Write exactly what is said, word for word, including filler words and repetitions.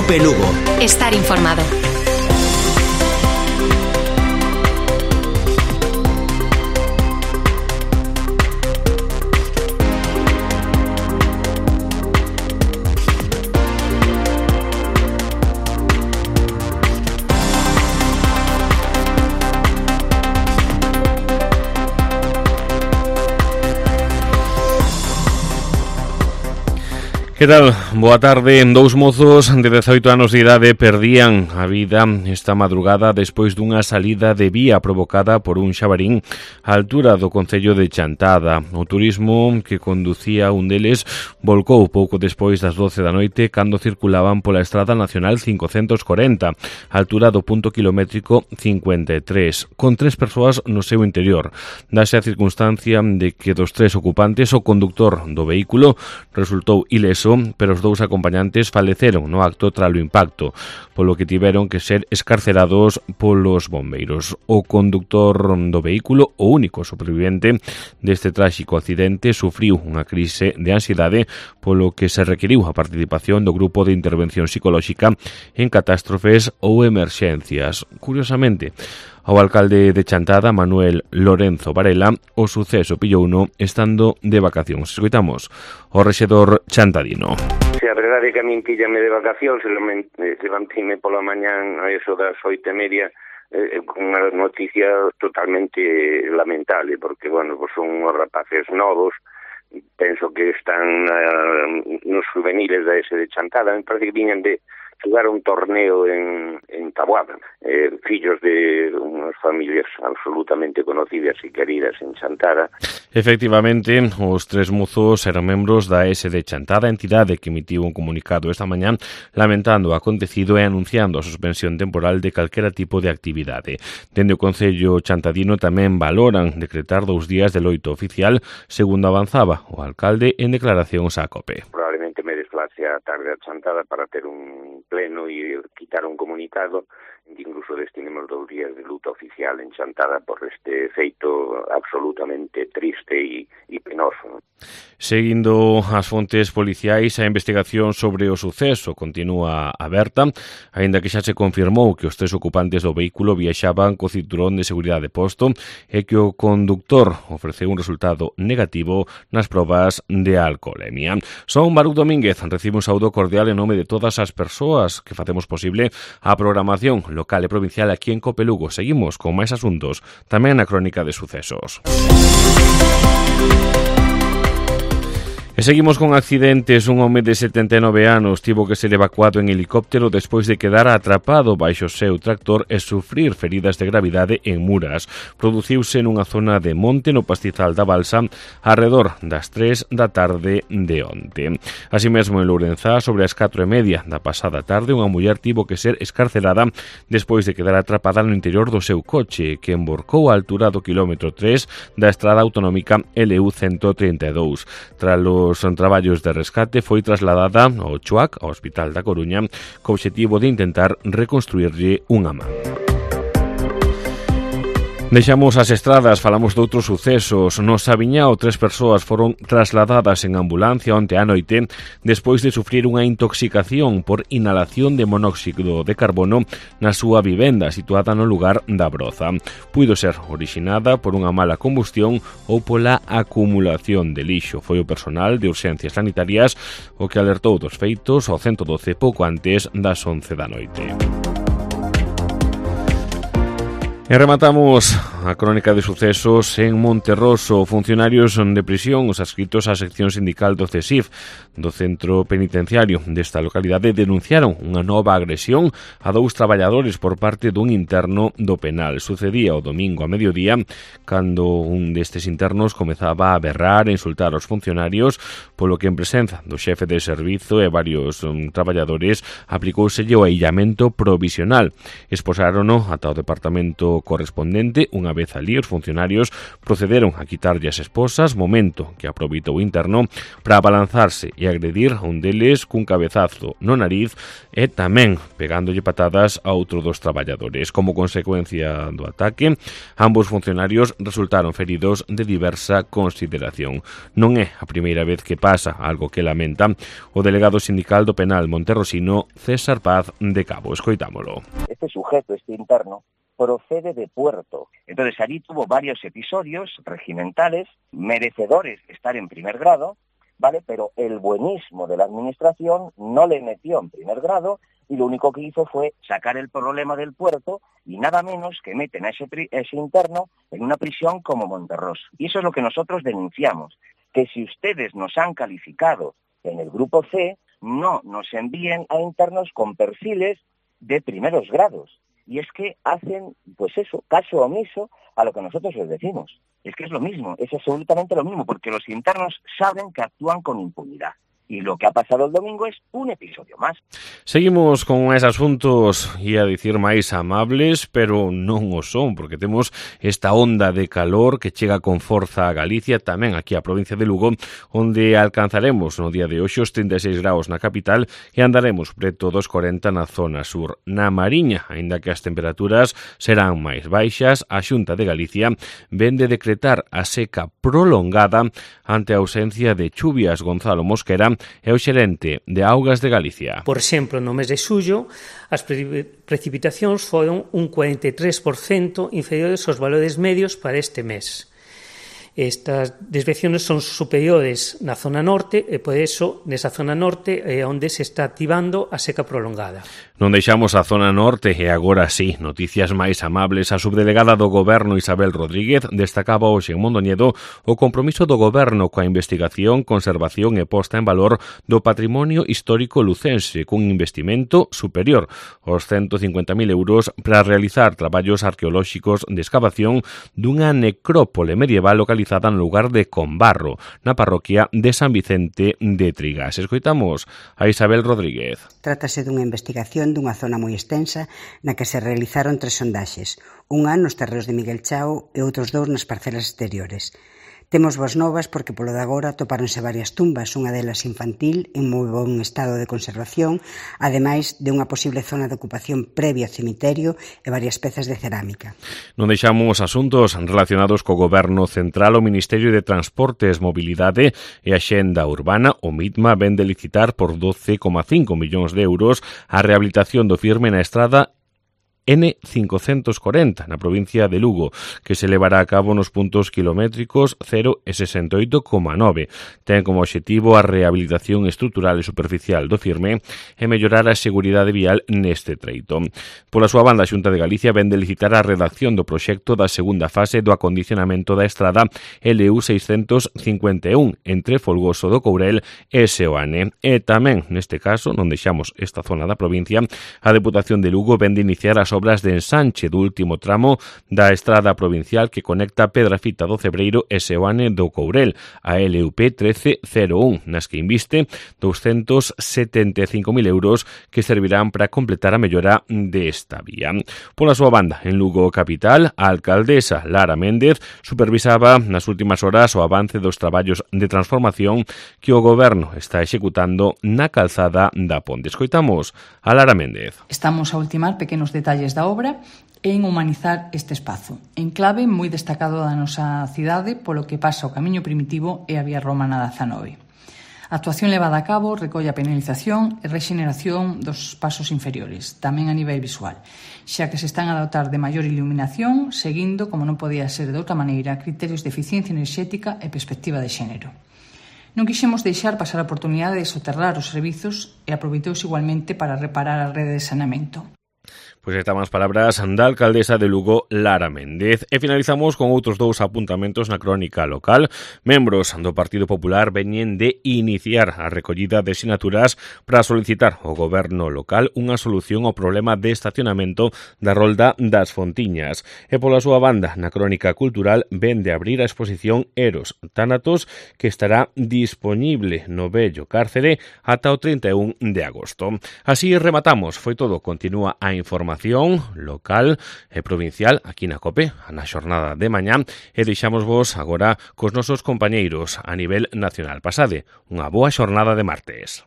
COPE Lugo. Estar informado. Que tal? Boa tarde. Dous mozos de dezaoito anos de idade perdían a vida esta madrugada despois dunha salida de vía provocada por un xabarín á altura do concello de Chantada. O turismo que conducía un deles volcou pouco despois das doce da noite cando circulaban pola Estrada Nacional quinhentos corenta, á altura do punto kilométrico cincuenta e tres, con tres persoas no seu interior. Dase a circunstancia de que dos tres ocupantes o conductor do vehículo resultou ileso, pero os dous acompañantes faleceron no acto tralo impacto, polo que tiveron que ser escarcerados polos bombeiros. O conductor do vehículo, o único supervivente deste tráxico accidente, sufriu unha crise de ansiedade, polo que se requiriu a participación do grupo de intervención psicolóxica en catástrofes ou emerxencias. Curiosamente, ao alcalde de Chantada, Manuel Lorenzo Varela, o suceso pillouno estando de vacacións. Escoitamos o rexedor chantadino. Se a verdade é que a min píllame de vacacións, levanteime pola mañán a eso das oito e media eh, con unha noticia totalmente lamentable, porque, bueno, pues son uns rapaces novos, penso que están uh, nos juveniles da ese de Chantada, me parece que viñan de jugar un torneo en, en Taboada, eh, fillos de unhas familias absolutamente conocidas e queridas en Chantada. Efectivamente, os tres mozos eran membros da S de Chantada, entidade que emitiu un comunicado esta mañán lamentando o acontecido e anunciando a suspensión temporal de calquera tipo de actividade. Dende o Concello chantadino tamén valoran decretar dous días de loito oficial, segundo avanzaba o alcalde en declaracións á COPE. Probablemente me desplace a tarde a Chantada para ter un pleno e quitar un comunicado, incluso destinemos dous días de luto oficial en Chantada por este feito absolutamente triste e, e penoso. Seguindo as fontes policiais, a investigación sobre o suceso continúa aberta, aínda que xa se confirmou que os tres ocupantes do vehículo viaxaban co cinturón de seguridade posto e que o conductor ofreceu un resultado negativo nas probas de alcoholemia. Son Baruch Domínguez, recibe un saúdo cordial en nome de todas as persoas que facemos posible a programación local e provincial aquí en COPE Lugo. Seguimos con máis asuntos, tamén na crónica de sucesos. E seguimos con accidentes. Un home de setenta e nove anos tivo que ser evacuado en helicóptero despois de quedar atrapado baixo o seu tractor e sufrir feridas de gravidade en Muras. Produciuse nunha zona de monte no pastizal da Balsa arredor das tres da tarde de onte. Así mesmo en Lourenzá, sobre as catro e media da pasada tarde, unha muller tivo que ser escarcerada despois de quedar atrapada no interior do seu coche, que emborcou á altura do quilómetro tres da estrada autonómica L U ciento trinta e dous. Tras os traballos de rescate foi trasladada ao Chuac, ao Hospital da Coruña, co obxectivo de intentar reconstruirlle unha man. Deixamos as estradas, falamos de outros sucesos. No Sabiñao, tres persoas foron trasladadas en ambulancia onte á noite despois de sufrir unha intoxicación por inhalación de monóxido de carbono na súa vivenda situada no lugar da Broza. Puido ser orixinada por unha mala combustión ou pola acumulación de lixo. Foi o personal de urxencias sanitarias o que alertou dos feitos ao ciento doce pouco antes das once da noite. E rematamos a crónica de sucesos en Monterroso. Funcionarios de prisión, os adscritos á sección sindical do C E S I F do centro penitenciario desta localidade, denunciaron unha nova agresión a dous traballadores por parte dun interno do penal. Sucedía o domingo a mediodía, cando un destes internos comezaba a berrar e insultar aos funcionarios, polo que en presenza do xefe de servizo e varios um, traballadores aplicóuselle o aillamento provisional. Exposárono ata o departamento acto correspondente, unha vez alí os funcionarios procederon a quitarlle as esposas, momento que aproveitou o interno para abalanzarse e agredir a un deles cun cabezazo no nariz e tamén pegándolle patadas a outro dos traballadores. Como consecuencia do ataque, ambos funcionarios resultaron feridos de diversa consideración. Non é a primeira vez que pasa, algo que lamenta o delegado sindical do penal monterrosino, César Paz de Cabo. Escoitámolo. Este sujeto, este interno, procede de Puerto. Entonces, allí tuvo varios episodios regimentales, merecedores de estar en primer grado, ¿vale? Pero el buenismo de la administración no le metió en primer grado y lo único que hizo fue sacar el problema del puerto y nada menos que meten a ese, ese interno en una prisión como Monterrós. Y eso es lo que nosotros denunciamos, que si ustedes nos han calificado en el grupo C, no nos envíen a internos con perfiles de primeros grados. Y es que hacen, pues eso, caso omiso a lo que nosotros les decimos. Es que es lo mismo, es absolutamente lo mismo, porque los internos saben que actúan con impunidad. Y lo que ha pasado el domingo es un episodio más. Seguimos con esos asuntos, ia dicir máis amables, pero non o son, porque temos esta onda de calor que chega con forza a Galicia, tamén aquí a provincia de Lugo, onde alcanzaremos no día de hoxe os trinta e seis graus na capital e andaremos preto dos corenta na zona sur. Na Mariña, aínda que as temperaturas serán máis baixas, a Xunta de Galicia vende decretar a seca prolongada ante a ausencia de chuvias. Gonzalo Mosquera é o xerente de Augas de Galicia. Por exemplo, no mes de xullo, as pre precipitacións foron un cuarenta e tres por cento inferiores aos valores medios para este mes. Estas desviacións son superiores na zona norte e, por eso, nesa zona norte é onde se está activando a seca prolongada. Non deixamos a zona norte e agora sí, noticias máis amables. A subdelegada do Goberno Isabel Rodríguez destacaba hoxe en Mondoñedo o compromiso do Goberno coa investigación, conservación e posta en valor do patrimonio histórico lucense, cun investimento superior aos ciento cincuenta mil euros para realizar traballos arqueolóxicos de excavación dunha necrópole medieval localizada no lugar de Combarro, na parroquia de San Vicente de Trigas. Escoitamos a Isabel Rodríguez. Trátase dunha investigación dunha zona moi extensa na que se realizaron tres sondaxes, unha nos terreos de Miguel Chao e outros dous nas parcelas exteriores. Temos boas novas porque polo de agora topáronse varias tumbas, unha delas infantil en moi bon estado de conservación, ademais de unha posible zona de ocupación previa ao cemiterio e varias pezas de cerámica. Non deixamos asuntos relacionados co Goberno Central. O Ministerio de Transportes, Mobilidade e Axenda Urbana, o MITMA, vende licitar por doce coma cinco millóns de euros a rehabilitación do firme na estrada N cincocentos corenta na provincia de Lugo, que se levará a cabo nos puntos kilométricos cero e sesenta e oito coma nove. Ten como obxectivo a rehabilitación estrutural e superficial do firme e mellorar a seguridade vial neste treito. Pola súa banda, a Xunta de Galicia vende licitar a redacción do proxecto da segunda fase do acondicionamento da estrada L U seiscentos cincuenta e un entre Folgoso do Courel e Seoane. E tamén, neste caso, non deixamos esta zona da provincia, a Deputación de Lugo vende iniciar as obras de ensanche do último tramo da estrada provincial que conecta Pedrafita do Cebreiro e Seoane do Courel, a L U P trece cero un, nas que inviste doscientos setenta e cinco mil euros que servirán para completar a mellora desta vía. Pola súa banda, en Lugo capital, a alcaldesa Lara Méndez supervisaba nas últimas horas o avance dos traballos de transformación que o Goberno está executando na calzada da Ponte. Escoitamos a Lara Méndez. Estamos a ultimar pequenos detalles da obra e en humanizar este espazo, en clave moi destacado da nosa cidade polo que pasa o camiño primitivo e a vía romana da dezanove. A actuación levada a cabo recolle a penalización e rexeneración dos pasos inferiores, tamén a nivel visual, xa que se están a dotar de maior iluminación, seguindo, como non podía ser de outra maneira, criterios de eficiencia enerxética e perspectiva de xénero. Non quixemos deixar pasar a oportunidade de soterrar os servizos e aproveitouse igualmente para reparar a rede de saneamento. Pois estas as palabras da alcaldesa de Lugo, Lara Méndez. E finalizamos con outros dous apuntamentos na crónica local. Membros do Partido Popular veñen de iniciar a recollida de sinaturas para solicitar ao goberno local unha solución ao problema de estacionamento da Rolda das Fontiñas. E pola súa banda, na crónica cultural, vende abrir a exposición Eros Tánatos, que estará dispoñible no vello cárcere ata o trinta e un de agosto. Así rematamos. Foi todo. Continúa a información información local e provincial aquí na COPE, na xornada de mañá, e deixamos vos agora cos nosos compañeiros a nivel nacional. Pasade unha boa xornada de martes.